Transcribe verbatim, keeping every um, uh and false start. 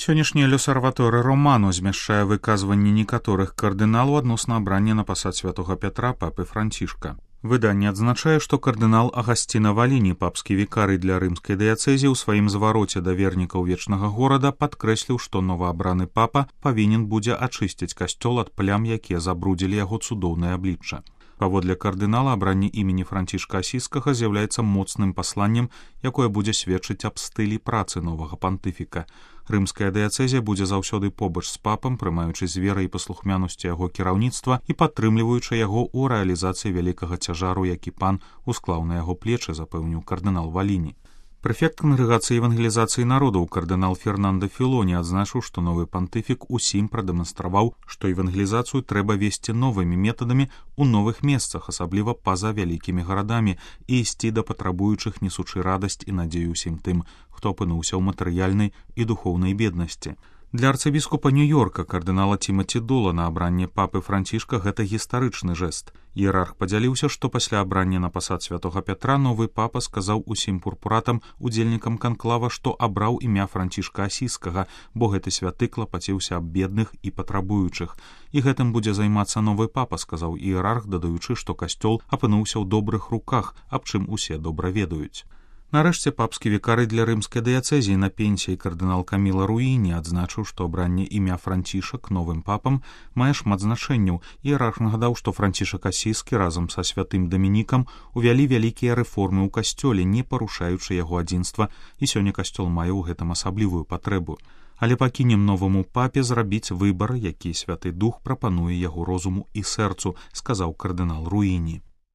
Сённяшняе L'Osservatore Romano змяшчае выказванні некаторых кардыналаў адносна абрання на пасад святога Пятра папы Францішка. Выданне адзначае, што кардынал Агасціна Валіні, папскі вікарый для рымскай дыяцэзіі, у сваім звароце да вернікаў вечнага горада падкрэсліў, што новаабраны папа павінен будзе ачысціць касцёл ад плям, якія забрудзілі яго цудоўнае аблічча. Паводле кардынала, абранне імені Францішка Асійскага з'яўляецца моцным пасланнем, якое будзе сведчыць аб стылі працы новага пантыфіка. Рымская дыяцэзія будзе заўсёды побач з папам, прымаючы з верай і паслухмянасцю яго кіраўніцтва і падтрымліваючы яго ў рэалізацыі вялікага цяжару, які пан усклаў на яго плечы, запэўніў кардынал Валіні. Прэфект кангрэгацыі евангелізацыі народаў кардынал Фернандо Філоні адзначыў, што новы пантыфік усім прадэманстраваў, што евангелізацыю трэба весці новымі метадамі ў новых месцах, асабліва па-за вялікімі гарадамі, і ісці да патрабуючых, несучы радасць і надзею ўсім тым, хто апынуўся ў матэрыяльнай і духоўнай беднасці. Для арцыбіскупа Нью-Йорка кардынала Тімаці Долана абранне папы Францішка гэта гістарычны жэст. Іерарх падзяліўся, што пасля абрання на пасад святога Пятра новы папа сказаў усім пурпуратам, удзельнікам канклава, што абраў імя Францішка Асійскага, бо гэты святы клапаціўся аб бедных і патрабуючых. І гэтым будзе займацца новы папа, сказаў іерарх, дадаючы, што касцёл апынуўся ў добрых руках, аб чым усе добра ведаюць. Нарэшце папскі вікарый для рымскай дыяцэзіі на пенсіі кардынал Каміла Руіні адзначыў, што абранне імя Францішак новым папам мае шмат значэнняў. Іерарх нагадаў, што Францішак Асійскі разам са святым Дамінікам увялі вялікія рэформы ў касцёле, не парушаючы яго адзінства, і сёння касцёл мае ў гэтым асаблівую патрэбу. Але пакінем новаму папе зрабіць выбар, які святы дух прапануе яго розуму і сэрцу, сказаў кардынал Руіні.